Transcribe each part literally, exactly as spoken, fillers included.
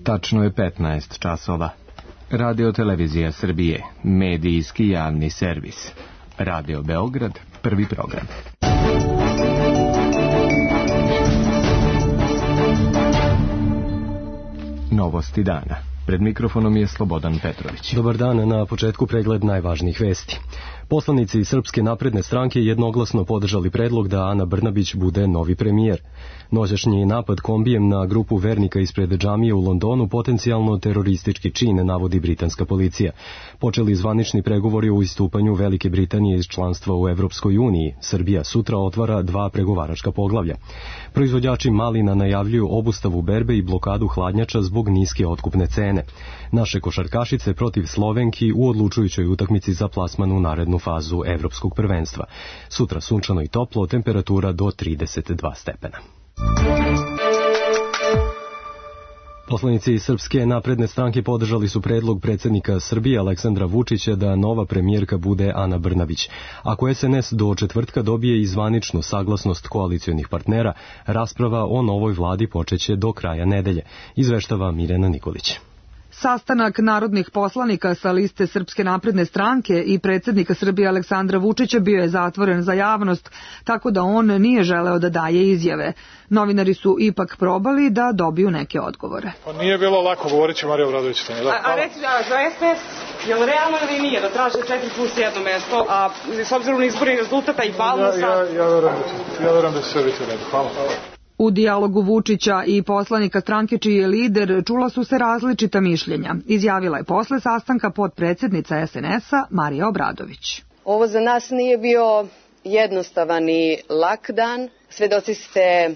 Tačno je petnaest časova. Radio Televizija Srbije, medijski javni servis. Radio Beograd, prvi program. Novosti dana. Pred mikrofonom je Slobodan Petrović. Dobar dan, na početku pregled najvažnijih vesti. Poslanici Srpske napredne stranke jednoglasno podržali predlog da Ana Brnabić bude novi premijer. Noćašnji napad kombijem na grupu vernika ispred džamije u Londonu potencijalno teroristički čin, navodi britanska policija. Počeli zvanični pregovori o istupanju Velike Britanije iz članstva u Evropskoj uniji. Srbija sutra otvara dva pregovaračka poglavlja. Proizvođači malina najavljuju obustavu berbe i blokadu hladnjača zbog niske otkupne cene. Naše košarkašice protiv Slovenki u odlučujućoj utakmici za plasman u narednu fazu evropskog prvenstva. Sutra sunčano i toplo, temperatura do trideset dva stepena. Poslanici Srpske napredne stranke podržali su predlog predsjednika Srbije Aleksandra Vučića da nova premijerka bude Ana Brnabić. Ako S N S do četvrtka dobije i zvaničnu saglasnost koalicionih partnera, rasprava o novoj vladi počeće do kraja nedelje, izveštava Mirjana Nikolić. Sastanak narodnih poslanika sa liste Srpske napredne stranke i predsjednika Srbije Aleksandra Vučića bio je zatvoren za javnost, tako da on nije želeo da daje izjave. Novinari su ipak probali da dobiju neke odgovore. Pa nije bilo lako, govorit će Marija Obradović. Da, a, a reci da, za S D S, je li realno ili nije da traže četiri plus jedno mesto, a s obzirom na izborni rezultata i balno sad... Ja, ja, ja verujem da će, ja verujem da će sve biti u redu. Hvala. U dijalogu Vučića i poslanika stranke čiji je lider čula su se različita mišljenja. Izjavila je posle sastanka potpredsjednica S N S-a Marija Obradović. Ovo za nas nije bio jednostavan i lak dan. Svedoci ste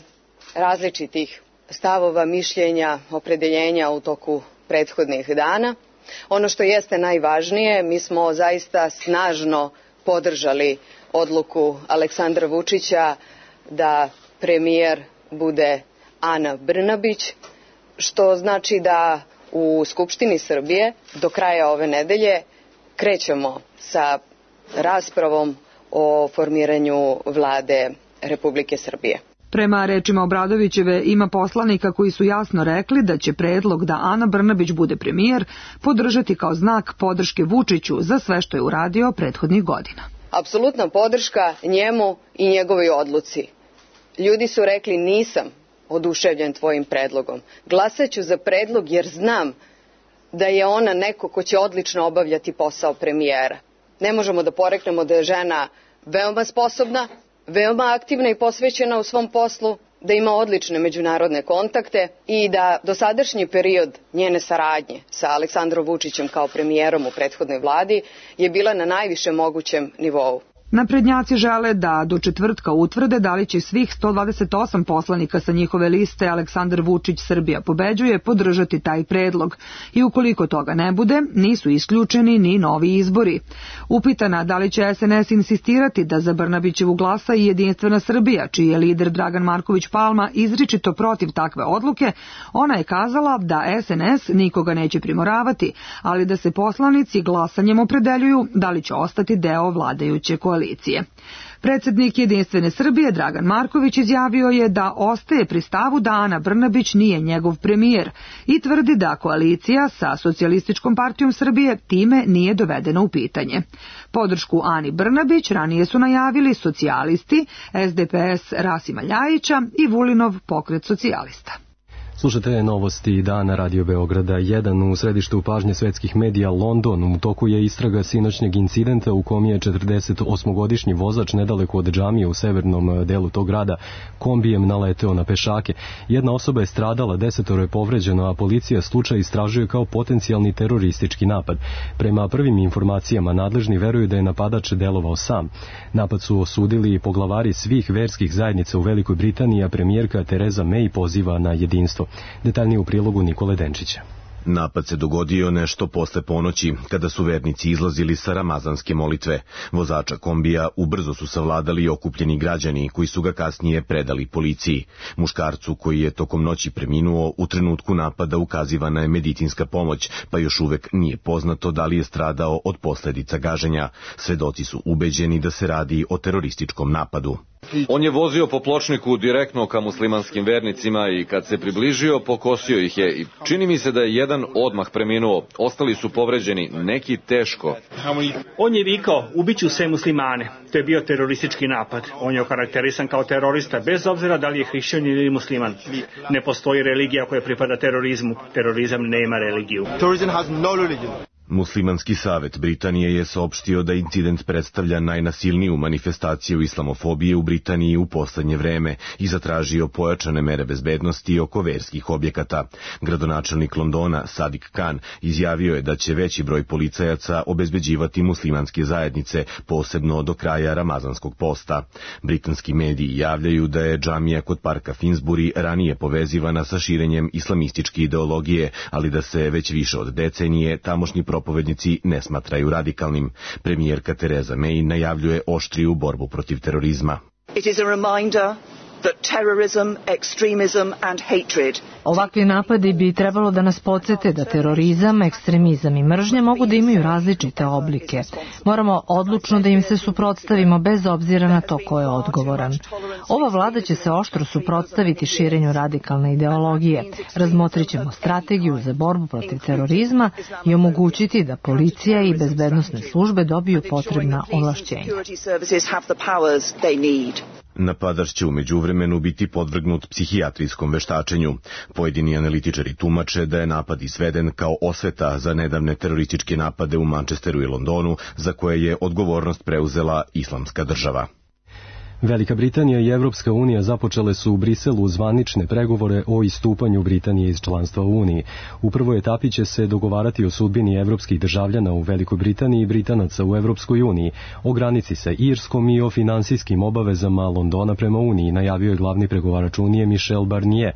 različitih stavova, mišljenja, opredeljenja u toku prethodnih dana. Ono što jeste najvažnije, mi smo zaista snažno podržali odluku Aleksandra Vučića da premijer bude Ana Brnabić, što znači da u Skupštini Srbije do kraja ove nedelje krećemo sa raspravom o formiranju vlade Republike Srbije. Prema rečima Obradovićeve, ima poslanika koji su jasno rekli da će predlog da Ana Brnabić bude premijer podržati kao znak podrške Vučiću za sve što je uradio prethodnih godina. Apsolutna podrška njemu i njegovoj odluci. Ljudi su rekli nisam oduševljen tvojim predlogom. Glasat ću za predlog jer znam da je ona neko ko će odlično obavljati posao premijera. Ne možemo da poreknemo da je žena veoma sposobna, veoma aktivna i posvećena u svom poslu, da ima odlične međunarodne kontakte i da dosadašnji period njene saradnje sa Aleksandrom Vučićem kao premijerom u prethodnoj vladi je bila na najvišem mogućem nivou. Naprednjaci žele da do četvrtka utvrde da li će svih sto dvadeset osam poslanika sa njihove liste Aleksandar Vučić Srbija pobeđuje podržati taj predlog i ukoliko toga ne bude, nisu isključeni ni novi izbori. Upitana da li će S N S insistirati da za Brnabićevu glasa i Jedinstvena Srbija, čiji je lider Dragan Marković Palma izričito protiv takve odluke, ona je kazala da S N S nikoga neće primoravati, ali da se poslanici glasanjem opredeljuju da li će ostati deo vladajuće koalicije. Predsjednik Jedinstvene Srbije Dragan Marković izjavio je da ostaje pri stavu da Ana Brnabić nije njegov premijer i tvrdi da koalicija sa Socijalističkom partijom Srbije time nije dovedena u pitanje. Podršku Ani Brnabić ranije su najavili socijalisti, S D P S Rasima Ljajića i Vulinov pokret socijalista. Slušate novosti dana Radio Beograda jedan. U središtu pažnje svetskih medija London. U toku je istraga sinoćnjeg incidenta u kom je četrdesetosmogodišnji vozač nedaleko od džamije u severnom delu tog grada kombijem naleteo na pešake. Jedna osoba je stradala, desetoro je povređeno, a policija slučaj istražuje kao potencijalni teroristički napad. Prema prvim informacijama nadležni veruju da je napadač delovao sam. Napad su osudili poglavari svih verskih zajednica u Velikoj Britaniji, a premijerka Tereza May poziva na jedinstvo. Detaljnije u prilogu Nikole Denčića. Napad se dogodio nešto posle ponoći, kada su vernici izlazili sa ramazanske molitve. Vozača kombija ubrzo su savladali okupljeni građani, koji su ga kasnije predali policiji. Muškarcu koji je tokom noći preminuo, u trenutku napada ukazivana je medicinska pomoć, pa još uvek nije poznato da li je stradao od posledica gaženja. Svedoci su ubeđeni da se radi o terorističkom napadu. On je vozio po pločniku direktno ka muslimanskim vernicima i kad se približio, pokosio ih je. I čini mi se da je jedan odmah preminuo, ostali su povređeni, neki teško. On je vikao, ubiću sve muslimane. To je bio teroristički napad. On je okarakterisan kao terorista, bez obzira da li je hrišćanin ili musliman. Ne postoji religija koja pripada terorizmu. Terorizam nema religiju. Muslimanski savet Britanije je saopštio da incident predstavlja najnasilniju manifestaciju islamofobije u Britaniji u poslednje vreme i zatražio pojačane mere bezbednosti oko verskih objekata. Gradonačelnik Londona, Sadiq Khan, izjavio je da će veći broj policajaca obezbeđivati muslimanske zajednice, posebno do kraja ramazanskog posta. Britanski mediji javljaju da je džamija kod parka Finsbury ranije povezivana sa širenjem islamističke ideologije, ali da se već više od decenije tamošnji propovednici ne smatraju radikalnim. Premijerka Theresa May najavljuje oštriju borbu protiv terorizma. It is a reminder that terrorism, extremism and hatred. Ovakvi napadi bi trebalo da nas podsete da terorizam, ekstremizam i mržnja mogu da imaju različite oblike. Moramo odlučno da im se suprotstavimo bez obzira na to ko je odgovoran. Ova vlada će se oštro suprotstaviti širenju radikalne ideologije. Razmotrit ćemo strategiju za borbu protiv terorizma i omogućiti da policija i bezbednosne službe dobiju potrebna ovlašćenja. Napadač će u međuvremenu biti podvrgnut psihijatrijskom veštačenju. Pojedini analitičari tumače da je napad izveden kao osveta za nedavne terorističke napade u Manchesteru i Londonu, za koje je odgovornost preuzela Islamska država. Velika Britanija i Evropska unija započele su u Briselu zvanične pregovore o istupanju Britanije iz članstva u Uniji. U prvoj etapi će se dogovarati o sudbini evropskih državljana u Velikoj Britaniji i Britanaca u Evropskoj uniji, o granici sa Irskom i o finansijskim obavezama Londona prema Uniji, najavio je glavni pregovarač Unije Michel Barnier.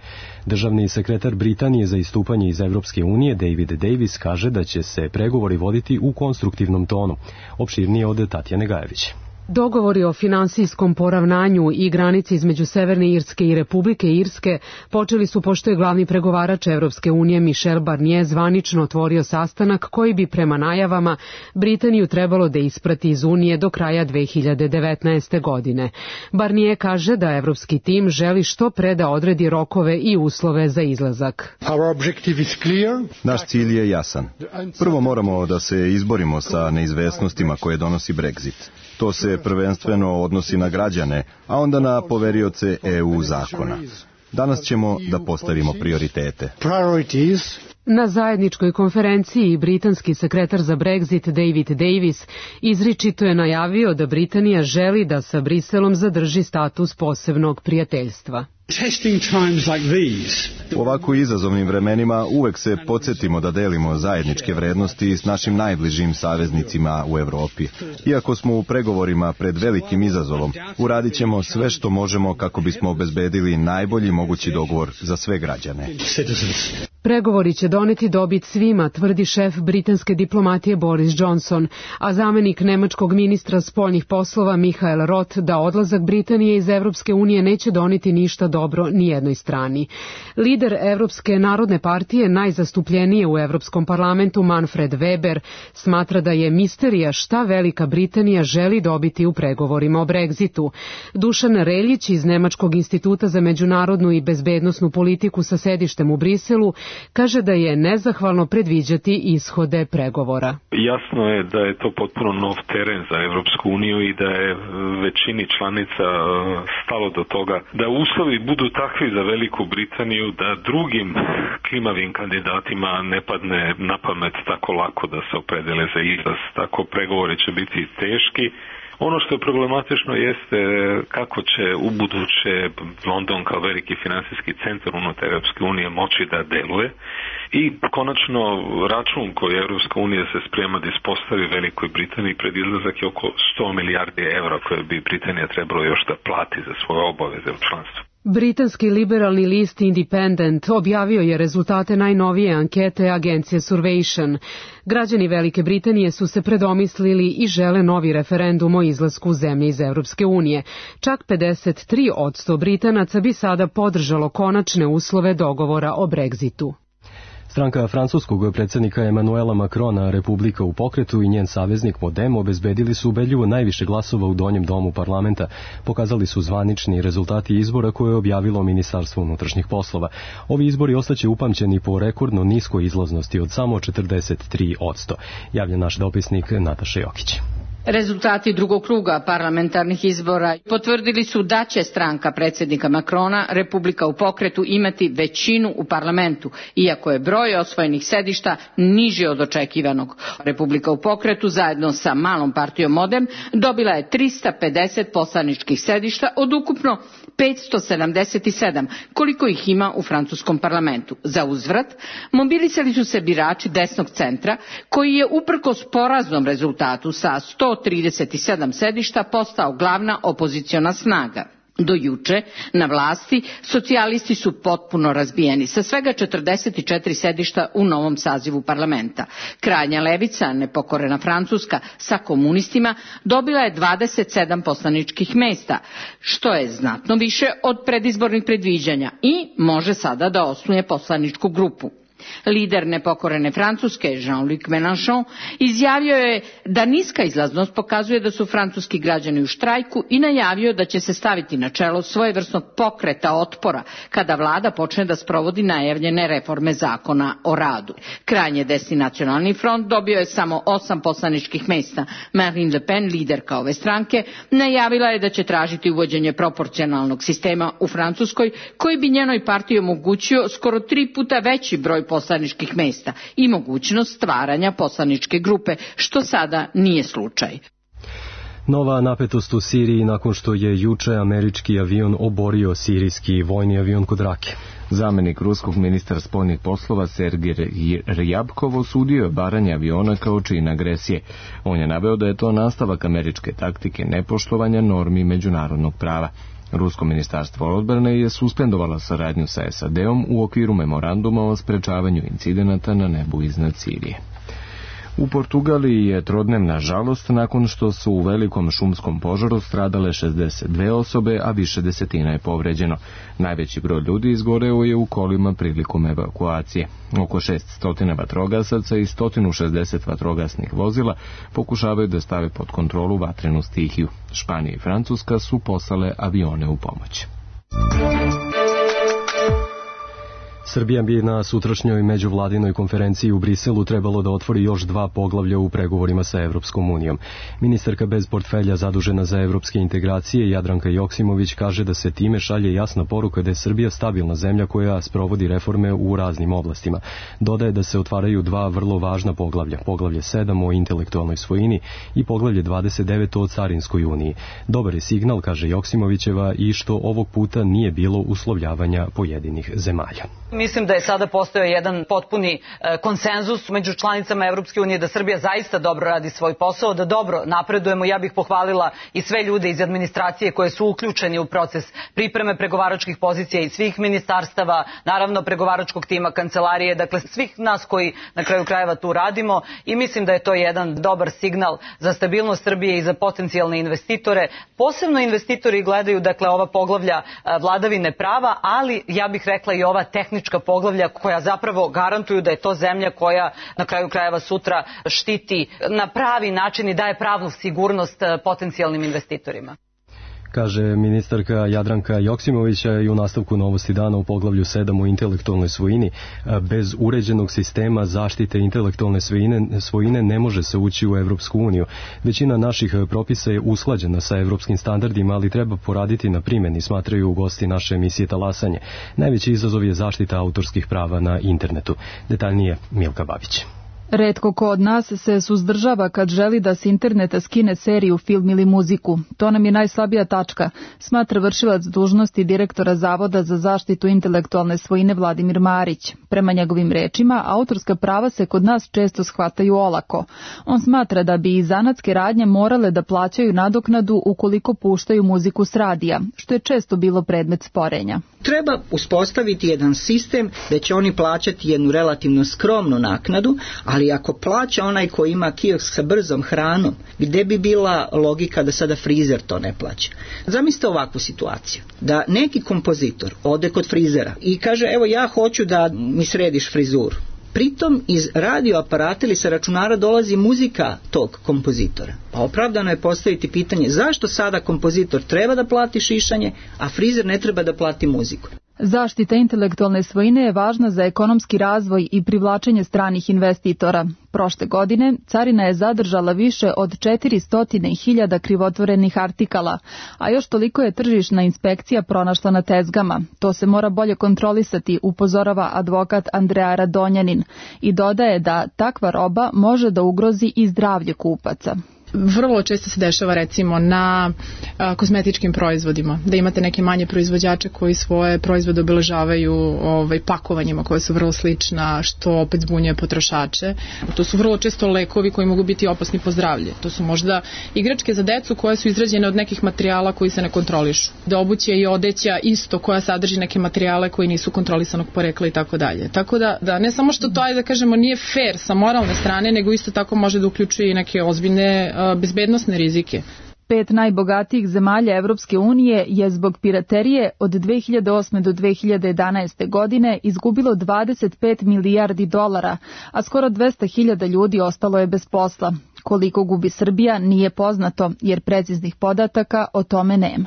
Državni sekretar Britanije za istupanje iz Evropske unije David Davis kaže da će se pregovori voditi u konstruktivnom tonu. Opširnije od Tatjane Gajević. Dogovori o finansijskom poravnanju i granici između Severne Irske i Republike Irske počeli su pošto je glavni pregovarač Evropske unije Michel Barnier zvanično otvorio sastanak koji bi prema najavama Britaniju trebalo da isprati iz Unije do kraja dve hiljade devetnaeste. godine. Barnier kaže da evropski tim želi što pre da odredi rokove i uslove za izlazak. Naš cilj je jasan. Prvo moramo da se izborimo sa neizvesnostima koje donosi Brexit. To se prvenstveno odnosi na građane, a onda na poverioce E U zakona. Danas ćemo da postavimo prioritete. Na zajedničkoj konferenciji britanski sekretar za Brexit David Davis izričito je najavio da Britanija želi da sa Briselom zadrži status posebnog prijateljstva. U ovako izazovnim vremenima uvek se podsjetimo da delimo zajedničke vrednosti s našim najbližim saveznicima u Evropi. Iako smo u pregovorima pred velikim izazovom, uradit ćemo sve što možemo kako bismo obezbedili najbolji mogući dogovor za sve građane. Pregovori će doneti dobit svima, tvrdi šef britanske diplomatije Boris Johnson, a zamenik nemačkog ministra spoljnih poslova Michael Roth da odlazak Britanije iz Evropske unije neće doneti ništa dobro ni jednoj strani. Lider Evropske narodne partije, najzastupljenije u Evropskom parlamentu Manfred Weber, smatra da je misterija šta Velika Britanija želi dobiti u pregovorima o Brexitu. Dušan Reljić iz Nemačkog instituta za međunarodnu i bezbednosnu politiku sa sedištem u Briselu kaže da je nezahvalno predviđati ishode pregovora. Jasno je da je to potpuno nov teren za Evropsku uniju i da je većini članica stalo do toga da uslovi budu takvi za Veliku Britaniju da drugim klimavim kandidatima ne padne na pamet tako lako da se opredele za izlaz. Tako pregovori će biti teški. Ono što je problematično jeste kako će u buduće London kao veliki finansijski centar unutar Europske unije moći da deluje i konačno račun koji Europska unija se sprema da ispostavi Velikoj Britaniji pred izlazak je oko sto milijardi evra koje bi Britanija trebalo još da plati za svoje obaveze u članstvu. Britanski liberalni list Independent objavio je rezultate najnovije ankete agencije Survation. Građani Velike Britanije su se predomislili i žele novi referendum o izlasku zemlje iz Evropske unije. Čak pedeset tri posto Britanaca bi sada podržalo konačne uslove dogovora o Brexitu. Stranka francuskog predsjednika Emanuela Macrona, Republika u pokretu, i njen saveznik Modem obezbedili su ubedljivo najviše glasova u donjem domu parlamenta. Pokazali su zvanični rezultati izbora koje je objavilo Ministarstvo unutrašnjih poslova. Ovi izbori ostaće upamćeni po rekordno niskoj izlaznosti od samo četrdeset tri posto. Javlja naš dopisnik Nataša Jokić. Rezultati drugog kruga parlamentarnih izbora potvrdili su da će stranka predsjednika Macrona, Republika u pokretu, imati većinu u parlamentu, iako je broj osvojenih sedišta niži od očekivanog. Republika u pokretu zajedno sa malom partijom Modem dobila je trista pedeset poslaničkih sedišta od ukupno petsto sedamdeset sedam, koliko ih ima u francuskom parlamentu. Za uzvrat, mobilisali su se birači desnog centra, koji je uprkos poraznom rezultatu sa sto trideset sedam sedišta postao glavna opoziciona snaga. Do juče na vlasti socijalisti su potpuno razbijeni sa svega četrdeset četiri sedišta u novom sazivu parlamenta. Krajnja levica, nepokorena Francuska, sa komunistima dobila je dvadeset sedam poslaničkih mesta, što je znatno više od predizbornih predviđanja i može sada da osnuje poslaničku grupu. Lider nepokorene Francuske, Jean-Luc Mélenchon, izjavio je da niska izlaznost pokazuje da su francuski građani u štrajku i najavio da će se staviti na čelo svojevrsnog pokreta otpora kada vlada počne da sprovodi najavljene reforme zakona o radu. Krajnje desni nacionalni front dobio je samo osam poslaničkih mesta. Marine Le Pen, liderka ove stranke, najavila je da će tražiti uvođenje proporcionalnog sistema u Francuskoj, koji bi njenoj partiji omogućio skoro tri puta veći broj poslaničkih mesta i mogućnost stvaranja poslaničke grupe, što sada nije slučaj. Nova napetost u Siriji nakon što je juče američki avion oborio sirijski vojni avion kod Rake. Zamenik ruskog ministra spoljnih poslova Sergej Ryabkov osudio je obaranje aviona kao čin agresije. On je naveo da je to nastavak američke taktike nepoštovanja normi međunarodnog prava. Rusko ministarstvo odbrane je suspendovalo saradnju sa S A D-om u okviru memoranduma o sprečavanju incidenata na nebu iznad Sirije. U Portugaliji je trodnevna žalost nakon što su u velikom šumskom požaru stradale šezdeset dve osobe, a više desetina je povređeno. Najveći broj ljudi izgoreo je u kolima prilikom evakuacije. Oko šeststo vatrogasaca i sto šezdeset vatrogasnih vozila pokušavaju da stave pod kontrolu vatrenu stihiju. Španija i Francuska su poslale avione u pomoć. Srbija bi na sutrašnjoj međuvladinoj konferenciji u Briselu trebalo da otvori još dva poglavlja u pregovorima sa Evropskom unijom. Ministarka bez portfelja zadužena za evropske integracije Jadranka Joksimović kaže da se time šalje jasna poruka da je Srbija stabilna zemlja koja sprovodi reforme u raznim oblastima. Dodaje da se otvaraju dva vrlo važna poglavlja, poglavlje sedam o intelektualnoj svojini i poglavlje dvadeset devet o carinskoj uniji. Dobar je signal, kaže Joksimovićeva, i što ovog puta nije bilo uslovljavanja pojedinih zemalja. Mislim da je sada postojao jedan potpuni konsenzus među članicama Evropske unije da Srbija zaista dobro radi svoj posao, da dobro napredujemo. Ja bih pohvalila i sve ljude iz administracije koje su uključeni u proces pripreme pregovaračkih pozicija i svih ministarstava, naravno pregovaračkog tima, kancelarije, dakle svih nas koji na kraju krajeva tu radimo, i mislim da je to jedan dobar signal za stabilnost Srbije i za potencijalne investitore. Posebno investitori gledaju dakle ova poglavlja vladavine prava, ali ja bih rekla i ova tehnička poglavlja koja zapravo garantuju da je to zemlja koja na kraju krajeva sutra štiti na pravi način i daje pravnu sigurnost potencijalnim investitorima. Kaže ministarka Jadranka Joksimovića i u nastavku Novosti dana u poglavlju sedam o intelektualnoj svojini. Bez uređenog sistema zaštite intelektualne svojine, svojine ne može se ući u Evropsku uniju. Većina naših propisa je usklađena sa evropskim standardima, ali treba poraditi na primjeni, smatraju gosti naše emisije Talasanje. Najveći izazov je zaštita autorskih prava na internetu. Detaljnije Milka Babić. Retko ko od nas se suzdržava kad želi da s interneta skine seriju, film ili muziku. To nam je najslabija tačka, smatra vršilac dužnosti direktora Zavoda za zaštitu intelektualne svojine Vladimir Marić. Prema njegovim rečima, autorska prava se kod nas često shvataju olako. On smatra da bi i zanatske radnje morale da plaćaju nadoknadu ukoliko puštaju muziku s radija, što je često bilo predmet sporenja. Treba uspostaviti jedan sistem da će oni plaćati jednu relativno skromnu naknadu, ali ako plaća onaj koji ima kiosk sa brzom hranom, gde bi bila logika da sada frizer to ne plaća? Zamislite ovakvu situaciju, da neki kompozitor ode kod frizera i kaže, evo ja hoću da mi središ frizuru. Pritom iz radioaparata ili sa računara dolazi muzika tog kompozitora. Pa opravdano je postaviti pitanje zašto sada kompozitor treba da plati šišanje, a frizer ne treba da plati muziku. Zaštita intelektualne svojine je važna za ekonomski razvoj i privlačenje stranih investitora. Prošle godine carina je zadržala više od četiristo hiljada krivotvorenih artikala, a još toliko je tržišna inspekcija pronašla na tezgama. To se mora bolje kontrolisati, upozorava advokat Andreja Radonjanin i dodaje da takva roba može da ugrozi i zdravlje kupaca. Vrlo često se dešava recimo na a, kozmetičkim proizvodima, da imate neke manje proizvođače koji svoje proizvode obeležavaju ovaj, pakovanjima koje su vrlo slična, što opet zbunjuje potrošače. To su vrlo često lekovi koji mogu biti opasni po zdravlje. To su možda igračke za decu koje su izrađene od nekih materijala koji se ne kontrolišu. Da obuće i odeća isto koja sadrži neke materijale koji nisu kontrolisanog porekla i tako dalje. Tako da, da ne samo što to, ajde da kažemo, nije fair sa moralne strane, nego isto tako može da uključuje i neke ozbiljne bezbednosne rizike. Pet najbogatijih zemalja Evropske unije je zbog piraterije od dve hiljade osme do dve hiljade jedanaeste godine izgubilo dvadeset pet milijardi dolara, a skoro dvesta hiljada ljudi ostalo je bez posla. Koliko gubi Srbija nije poznato, jer preciznih podataka o tome nema.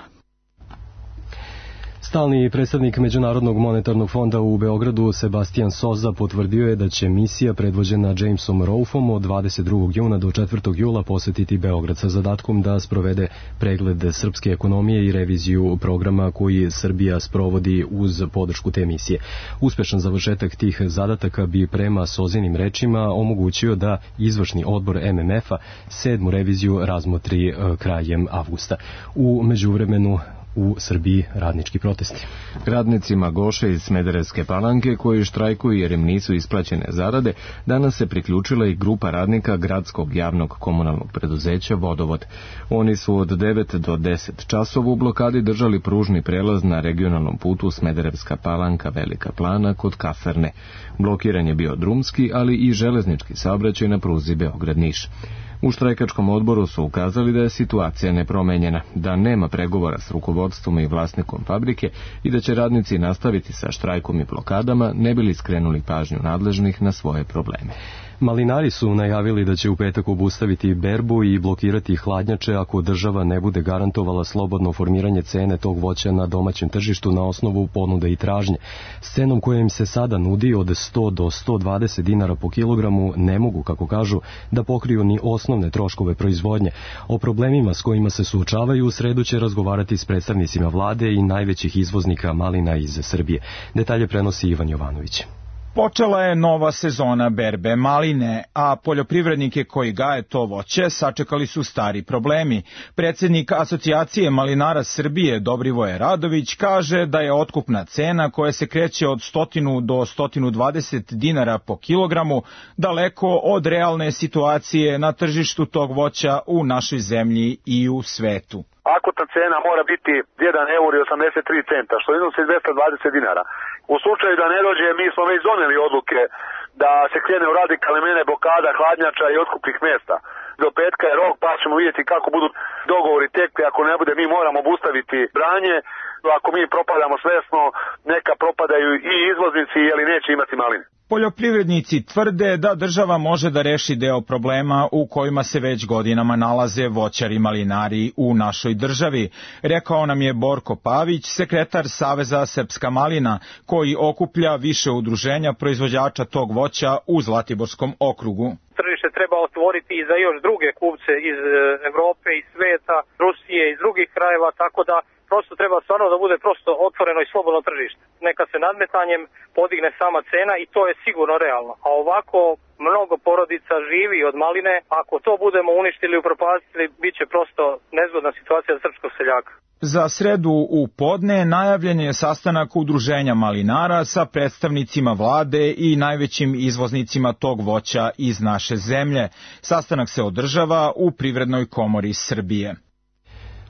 Stalni predstavnik Međunarodnog monetarnog fonda u Beogradu Sebastian Soza potvrdio je da će misija predvođena Jamesom Rolfom od dvadeset drugog juna do četvrtog jula posetiti Beograd sa zadatkom da sprovede pregled srpske ekonomije i reviziju programa koji Srbija sprovodi uz podršku te misije. Uspešan završetak tih zadataka bi prema Sozinim rečima omogućio da izvršni odbor M M F-a sedmu reviziju razmotri krajem avgusta. U međuvremenu u Srbiji radnički protesti. Radnicima Goše iz Smederevske Palanke koji štrajkuju jer im nisu isplaćene zarade, danas se priključila i grupa radnika gradskog javnog komunalnog preduzeća Vodovod. Oni su od devet do deset časova u blokadi držali pružni prelaz na regionalnom putu Smederevska Palanka Velika Plana kod Kaferne. Blokiran je bio drumski, ali i železnički saobraćaj na pruzi Beograd-Niš. U štrajkačkom odboru su ukazali da je situacija nepromenjena, da nema pregovora s rukovodstvom i vlasnikom fabrike i da će radnici nastaviti sa štrajkom i blokadama, ne bili skrenuli pažnju nadležnih na svoje probleme. Malinari su najavili da će u petak obustaviti berbu i blokirati hladnjače ako država ne bude garantovala slobodno formiranje cene tog voća na domaćem tržištu na osnovu ponude i tražnje. S cenom koja im se sada nudi od sto do sto dvadeset dinara po kilogramu ne mogu, kako kažu, da pokriju ni osnovne troškove proizvodnje. O problemima s kojima se suočavaju u sredu će razgovarati s predstavnicima vlade i najvećih izvoznika malina iz Srbije. Detalje prenosi Ivan Jovanović. Počela je nova sezona berbe maline, a poljoprivrednike koji gaje to voće sačekali su stari problemi. Predsjednik Asocijacije malinara Srbije Dobrivoje Radović kaže da je otkupna cena koja se kreće od sto do sto dvadeset dinara po kilogramu daleko od realne situacije na tržištu tog voća u našoj zemlji i u svetu. Akutna cena mora biti jedan euro i osamdeset tri centa, što iznosi dvesta dvadeset dinara. U slučaju da ne dođe, mi smo već doneli odluke da se krene u radikalne mene blokada hladnjača i otkupnih mesta. Do petka je rok, pa ćemo vidjeti kako budu dogovori tekli. Ako ne bude, mi moramo obustaviti branje. Ako mi propadamo svesno, neka propadaju i izvoznici, jer neće imati maline. Poljoprivrednici tvrde da država može da reši deo problema u kojima se već godinama nalaze voćari malinari u našoj državi. Rekao nam je Borko Pavić, sekretar Saveza Srpska malina, koji okuplja više udruženja proizvođača tog voća u Zlatiborskom okrugu. Tržište treba otvoriti i za još druge kupce iz Evrope i sveta, Rusije i drugih krajeva, tako da prosto treba stvarno da bude prosto otvoreno i slobodno tržište. Neka se nadmetanjem podigne sama cena i to je sigurno realno. A ovako mnogo porodica živi od maline, ako to budemo uništili i upropastili, bit će prosto nezgodna situacija za srpskog seljaka. Za sredu u podne najavljen je sastanak udruženja malinara sa predstavnicima vlade i najvećim izvoznicima tog voća iz naše zemlje. Sastanak se održava u Privrednoj komori Srbije.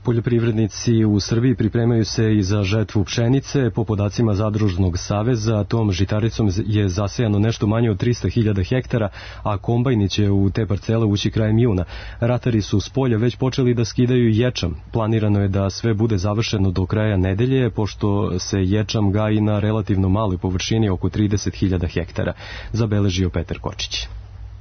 Poljoprivrednici u Srbiji pripremaju se i za žetvu pšenice. Po podacima Zadružnog saveza, tom žitaricom je zasejano nešto manje od trista hiljada hektara, a kombajni će u te parcele ući krajem juna. Ratari su s polja već počeli da skidaju ječam. Planirano je da sve bude završeno do kraja nedelje, pošto se ječam gaji na relativno maloj površini oko trideset hiljada hektara, zabeležio Petar Kočić.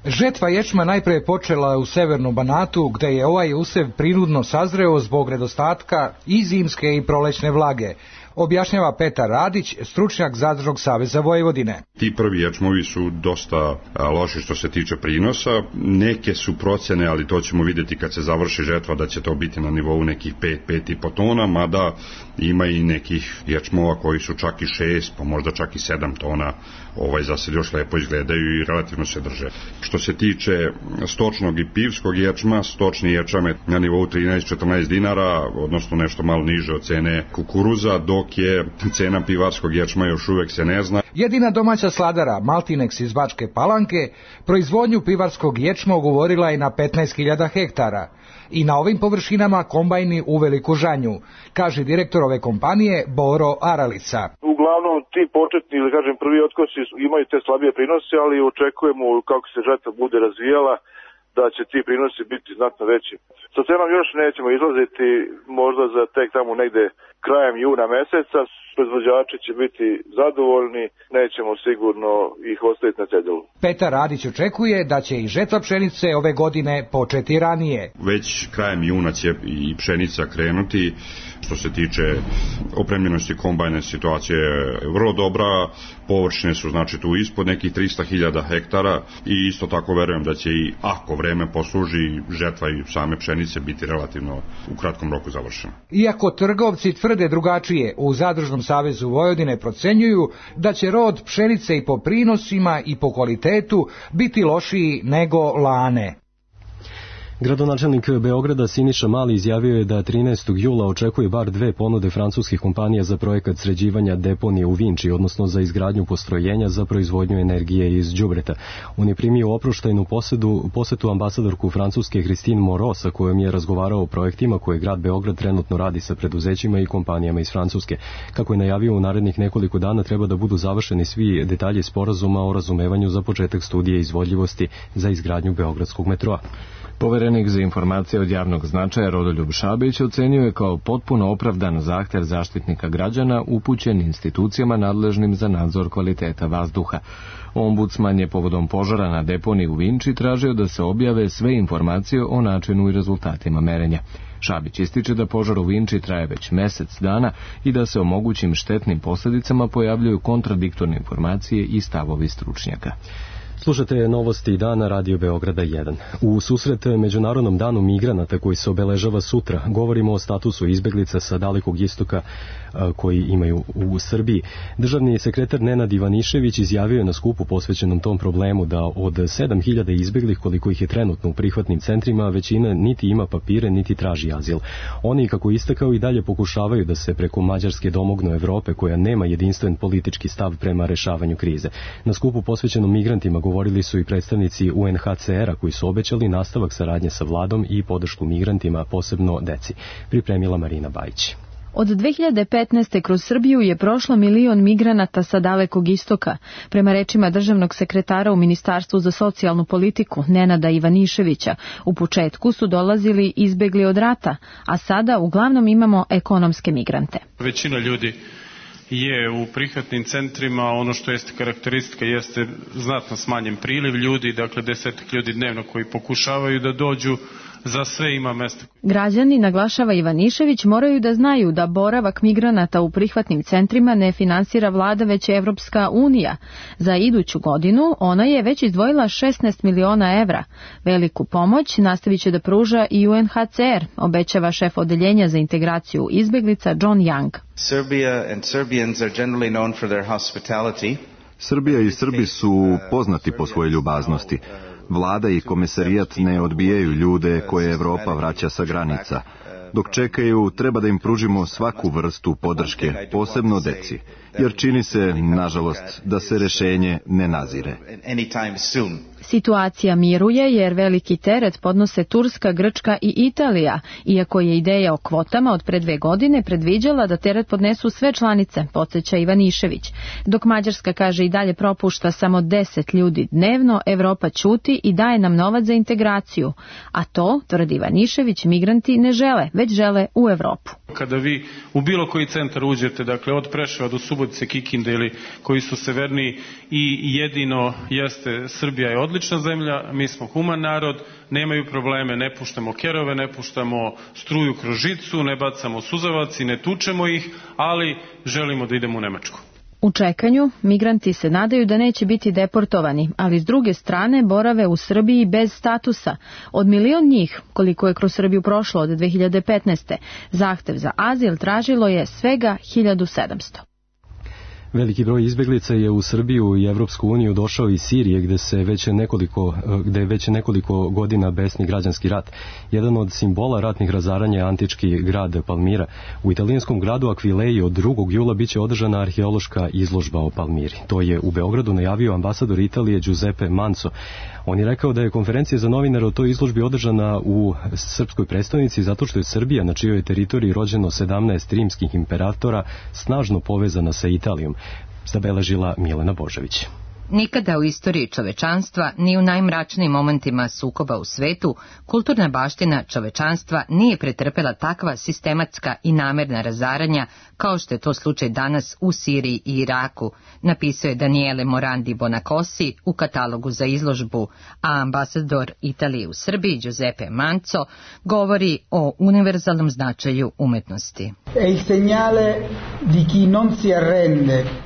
Žetva ječma najpre je počela u severnom Banatu, gde je ovaj usev prinudno sazreo zbog nedostatka i zimske i prolećne vlage, objašnjava Petar Radić, stručnjak Zadružnog saveza Vojvodine. Ti prvi ječmovi su dosta loši što se tiče prinosa, neke su procene, ali to ćemo vidjeti kad se završi žetva da će to biti na nivou nekih pet, pet i po tona, mada ima i nekih ječmova koji su čak i šest, pa možda čak i sedam tona, ovaj za sad još lepo izgledaju i relativno se drže. Što se tiče stočnog i pivskog ječma, stočni ječam je na nivou trinaest do četrnaest dinara, odnosno nešto malo niže od cene kukuruza, dok je cena pivarskog ječma još uvek se ne zna. Jedina domaća sladara, Maltinex iz Bačke Palanke, proizvodnju pivarskog ječma ugovorila je na petnaest hiljada hektara. I na ovim površinama kombajni u veliku žanju, kaže direktor ove kompanije Boro Aralica. Uglavnom ti početni ili kažem prvi otkosi imaju te slabije prinose, ali očekujemo kako se žetva bude razvijala da će ti prinosi biti znatno veći. Sa cenom još nećemo izlaziti, možda za tek tamo negde krajem juna meseca, proizvođači će biti zadovoljni, nećemo sigurno ih ostaviti na cedilu. Petar Radić očekuje da će i žetva pšenice ove godine početi ranije. Već krajem juna će i pšenica krenuti. Što se tiče opremljenosti kombajne, situacija je vrlo dobra, površine su znači tu ispod nekih trista hiljada hektara i isto tako verujem da će i ako vreme posluži žetva i same pšenice biti relativno u kratkom roku završena. Iako trgovci tvrde drugačije, u Zadružnom savezu Vojvodine procenjuju da će rod pšenice i po prinosima i po kvalitetu biti lošiji nego lane. Gradonačelnik Beograda Siniša Mali izjavio je da trinaestog jula očekuje bar dve ponude francuskih kompanija za projekat sređivanja deponije u Vinči, odnosno za izgradnju postrojenja za proizvodnju energije iz đubreta. On je primio oproštajnu posedu, posetu ambasadorku Francuske Christine Moreau, sa kojom je razgovarao o projektima koje grad Beograd trenutno radi sa preduzećima i kompanijama iz Francuske. Kako je najavio, u narednih nekoliko dana treba da budu završeni svi detalji sporazuma o razumevanju za početak studije izvodljivosti za izgradnju beogradskog metroa. Poverenik za informacije od javnog značaja Rodoljub Šabić ocenio je kao potpuno opravdan zahtev zaštitnika građana upućen institucijama nadležnim za nadzor kvaliteta vazduha. Ombudsman je povodom požara na deponiji u Vinči tražio da se objave sve informacije o načinu i rezultatima merenja. Šabić ističe da požar u Vinči traje već mesec dana i da se o mogućim štetnim posljedicama pojavljuju kontradiktorne informacije i stavovi stručnjaka. Slušate novosti dana Radio Beograda jedan. U susret Međunarodnom danu migranata koji se obeležava sutra, govorimo o statusu izbeglica sa Dalekog istoka koji imaju u Srbiji. Državni sekretar Nenad Ivanišević izjavio je na skupu posvećenom tom problemu da od sedam hiljada izbeglih koliko ih je trenutno u prihvatnim centrima, većina niti ima papire niti traži azil. Oni, kako istakao, i dalje pokušavaju da se preko Mađarske domognu Evrope koja nema jedinstven politički stav prema rešavanju krize. Na skupu posvećenom migrantima govorili su i predstavnici U N H C R-a koji su obećali nastavak saradnje sa vladom i podršku migrantima, posebno deci. Pripremila Marina Bajić. Od dve hiljade petnaeste. kroz Srbiju je prošlo milion migranata sa Dalekog istoka. Prema rečima državnog sekretara u Ministarstvu za socijalnu politiku Nenada Ivaniševića, u početku su dolazili izbegli od rata, a sada uglavnom imamo ekonomske migrante. Većina ljudi je u prihvatnim centrima, ono što jeste karakteristika jeste znatno smanjen priliv ljudi, dakle desetak ljudi dnevno koji pokušavaju da dođu, za sve ima mesta. Građani, naglašava Ivanišević, moraju da znaju da boravak migranata u prihvatnim centrima ne finansira vlada već Evropska unija. Za iduću godinu ona je već izdvojila šesnaest miliona evra. Veliku pomoć nastavit će da pruža i U N H C R, obećava šef odeljenja za integraciju izbeglica John Young. Serbia and Serbians are generally known for their hospitality. Srbija i Srbi su poznati po svojoj ljubaznosti. Vlada i komesarijat ne odbijaju ljude koje Evropa vraća sa granica. Dok čekaju, treba da im pružimo svaku vrstu podrške, posebno deci, jer čini se, nažalost, da se rešenje ne nazire. Situacija miruje jer veliki teret podnose Turska, Grčka i Italija, iako je ideja o kvotama od pre dve godine predviđala da teret podnesu sve članice, podsjeća Ivanišević. Dok Mađarska, kaže, i dalje propušta samo deset ljudi dnevno, Evropa ćuti i daje nam novac za integraciju. A to, tvrdi Ivanišević, migranti ne žele, već žele u Evropu. Kada vi u bilo koji centar uđete, dakle od Preševa do Subotice, Kikinde ili koji su severniji, i jedino jeste Srbija je odlična zemlja, mi smo human narod, nemaju probleme, ne puštamo kerove, ne puštamo struju kroz žicu, ne bacamo suzavac i ne tučemo ih, ali želimo da idemo u Nemačku. U čekanju, migranti se nadaju da neće biti deportovani, ali s druge strane borave u Srbiji bez statusa. Od milion njih, koliko je kroz Srbiju prošlo od dve hiljade petnaeste. zahtev za azil tražilo je svega hiljadu sedamsto. Veliki broj izbeglica je u Srbiju i Evropsku uniju došao iz Sirije, gde se već nekoliko, gde je već nekoliko godina besni građanski rat. Jedan od simbola ratnih razaranja je antički grad Palmira. U italijanskom gradu Akvileji od drugog jula biće održana arheološka izložba o Palmiri. To je u Beogradu najavio ambasador Italije Giuseppe Manso. On je rekao da je konferencija za novinare o toj izložbi održana u srpskoj prestonici zato što je Srbija, na čijoj teritoriji rođeno sedamnaest rimskih imperatora, snažno povezana sa Italijom, zabeležila Milena Božević. Nikada u istoriji čovečanstva, ni u najmračnijim momentima sukoba u svetu, kulturna baština čovečanstva nije pretrpela takva sistematska i namerna razaranja kao što je to slučaj danas u Siriji i Iraku, napisao je Daniele Morandi Bonacosi u katalogu za izložbu, a ambasador Italije u Srbiji Giuseppe Manso govori o univerzalnom značaju umetnosti.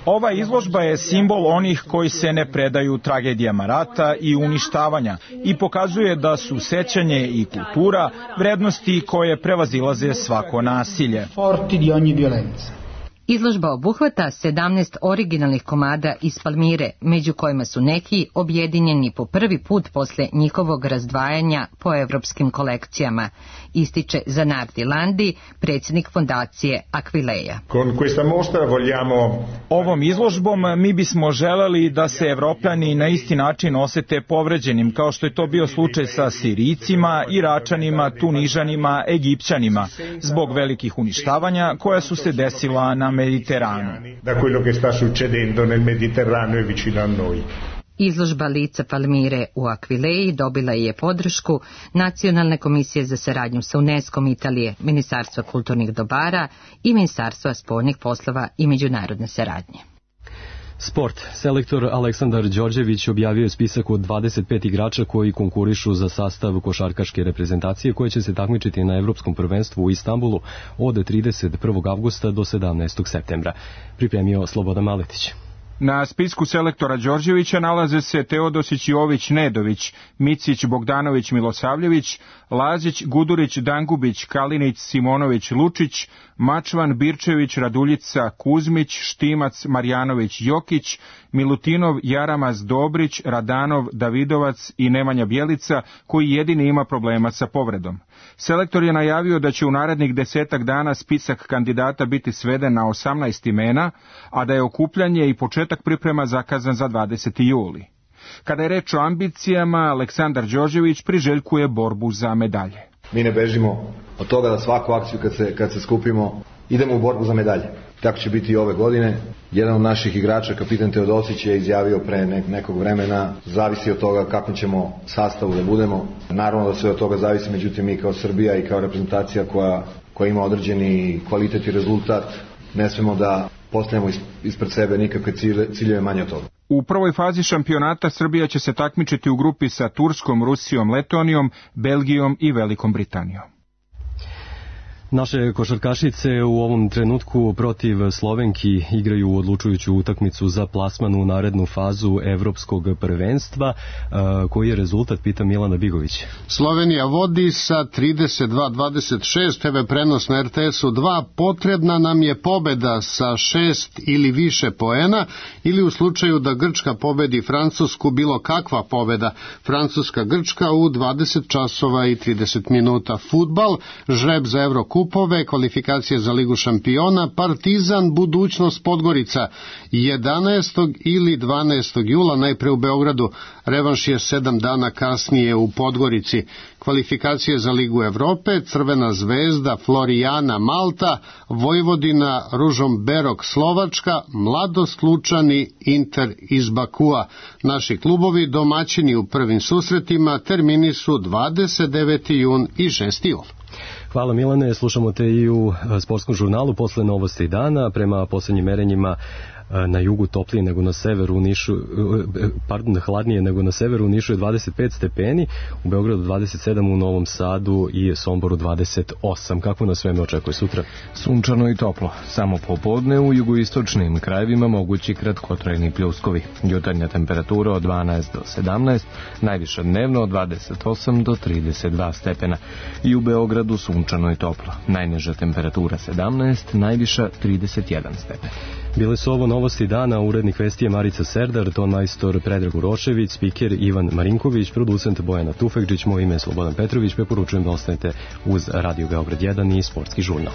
Ova izložba je simbol onih koji se ne predaju tragedijama rata i uništavanja i pokazuje da su sećanje i kultura vrednosti koje prevazilaze svako nasilje. Izložba obuhvata sedamnaest originalnih komada iz Palmire, među kojima su neki objedinjeni po prvi put posle njihovog razdvajanja po evropskim kolekcijama, ističe Zanardi Landi, predsjednik fondacije Akvileja. Ovom izložbom mi bismo želeli da se Evropljani na isti način osete povređenim, kao što je to bio slučaj sa Sirijcima, Iračanima, Tunižanima, Egipćanima, zbog velikih uništavanja koja su se desila na Mediteranu. Da quello che sta succedendo nel Mediterraneo e vicino a noi. Izložba lica Palmire u Akvileji dobila je podršku Nacionalne komisije za saradnju sa UNESCO-om Italije, Ministarstva kulturnih dobara i Ministarstva spoljnih poslova i međunarodne saradnje. Sport. Selektor Aleksandar Đorđević objavio je spisak od dvadeset pet igrača koji konkurišu za sastav košarkaške reprezentacije koje će se takmičiti na Evropskom prvenstvu u Istanbulu od trideset prvog avgusta do sedamnaestog septembra. Pripremio Slobodan Maletić. Na spisku selektora Đorđevića nalaze se Teodosić Jović Nedović, Micić Bogdanović Milosavljević, Lazić Gudurić Dangubić, Kalinić Simonović Lučić, Mačvan Birčević Raduljica Kuzmić, Štimac Marjanović Jokić, Milutinov Jaramaz Dobrić, Radanov Davidovac i Nemanja Bjelica, koji jedini ima problema sa povredom. Selektor je najavio da će u narednih desetak dana spisak kandidata biti sveden na osamnaest imena, a da je okupljanje i početak priprema zakazan za dvadeseti juli. Kada je reč o ambicijama, Aleksandar Đorđević priželjkuje borbu za medalje. Mi ne bežimo od toga da svaku akciju kad se, kad se skupimo idemo u borbu za medalje. Tako će biti i ove godine. Jedan od naših igrača, kapitan Teodosić, je izjavio pre nekog vremena, zavisi od toga kakvom ćemo sastavu da budemo. Naravno da sve od toga zavisi, međutim mi kao Srbija i kao reprezentacija koja, koja ima određeni kvalitet i rezultat, ne smemo da postavljamo ispred sebe nikakve ciljeve manje od toga. U prvoj fazi šampionata Srbija će se takmičiti u grupi sa Turskom, Rusijom, Letonijom, Belgijom i Velikom Britanijom. Naše košarkašice u ovom trenutku protiv Slovenki igraju odlučujuću utakmicu za plasman u narednu fazu evropskog prvenstva. Koji je rezultat, pita Milana Bigović. Slovenija vodi sa trideset dva dvadeset šest, te ve prenos na er te esu dva. Potrebna nam je pobeda sa šest ili više poena, ili u slučaju da Grčka pobedi Francusku, bilo kakva pobeda. Francuska-Grčka u dvadeset časova i trideset minuta. Fudbal, žreb za Evrokupove, kvalifikacije za Ligu šampiona, Partizan, budućnost Podgorica, jedanaestog ili dvanaestog jula, najpre u Beogradu, revanš je sedam dana kasnije u Podgorici. Kvalifikacije za Ligu Evrope, Crvena zvezda, Florijana, Malta, Vojvodina, Ružomberok, Slovačka, Mladost, Lučani, Inter iz Bakua. Naši klubovi domaćini u prvim susretima, termini su dvadeset deveti jun i šesti jul. Hvala Milane, slušamo te i u sportskom žurnalu posle novosti dana. Prema poslednjim merenjima na jugu toplije nego na severu, u Nišu, pardon, hladnije nego na severu, u Nišu je dvadeset pet stepeni, u Beogradu dvadeset sedam, u Novom Sadu i Somboru dvadeset osam. Kako nas vreme očekuje sutra? Sunčano i toplo. Samo popodne u jugoistočnim krajevima mogući kratkotrajni pljuskovi. Jutarnja temperatura od dvanaest do sedamnaest, najviša dnevno od dvadeset osam do trideset dva stepena. I u Beogradu sunčano i toplo. Najniža temperatura sedamnaest, najviša trideset jedan stepen. Bile su ovo novosti dana, urednik vesti je Marica Serdar, ton majstor Predrag Urošević, spiker Ivan Marinković, producent Bojana Tufekđić, moje ime je Slobodan Petrović, preporučujem da ostanete uz Radio Beograd jedan i Sportski žurnal.